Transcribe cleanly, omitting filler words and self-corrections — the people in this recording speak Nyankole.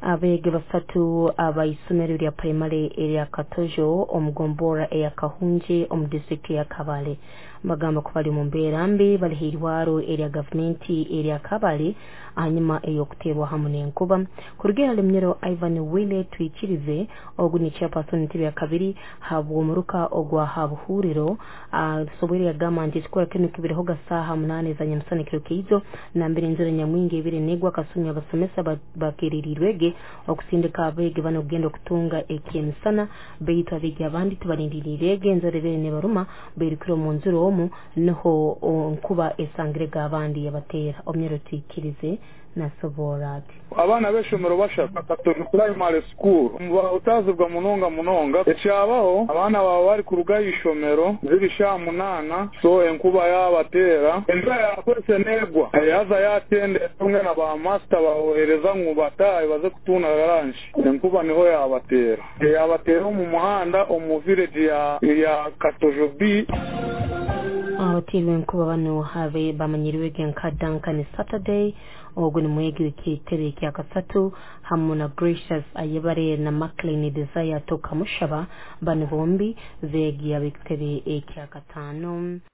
Abeegi basatu abaisomero lya primary erya Katojo omu gombora eya Kahunje omu disitulikiti ya Kabale bagamba ku bali omu mbeera mbi bali hairwaro erya gavumenti erya Kabale ahanyuma ey'okuteerwa hamu n'enkuba. Kuruga hali Munyoro Ivan Wile Twikirize, ogu ni chairperson entebe ya kabiri habw'omuruka ogwa Habuhuriro, asoboire yagamba nti ekikorwa kinu kibirehoga saaha 8 za nyamusana ekiro kyaijo nambere enjura nyamwingi ebire negwa akasumi abasomesa bakereriirwege okusindika abeegi bano kugenda okutunga ekyemisana, baitu abeegi abandi tibalindiriirege enjura ebere nebaruma bairukire omu njura omu niho nkuba esangirege abandi yabateera. Omunyoro Twikirize nasoboora ati. Abaana b'eshomero bashatu Katojo Primary School bahutazibwa munonga munonga. Ekyabaho, abaana baba bari kuruga aha ishomero ziri shaaha 8, so enkuba yabateera, enjura yakwese negwa, yaza yatendera rumwe na ba master babohereza ngu batahe baze kutunda lunch, enkuba niho yabateera, yabateera omu muhanda omu village ya Katojo B. Abateerwa enkuba bano habe bamanyiriwege nka Duncan Saturday, ogu ni mwegi w'ekitebe kya kasatu, hamu na Gracious Ayebare na Maclean Desire Tokamushaba, bano bombi beegi ab'ekitebe ekya kataano.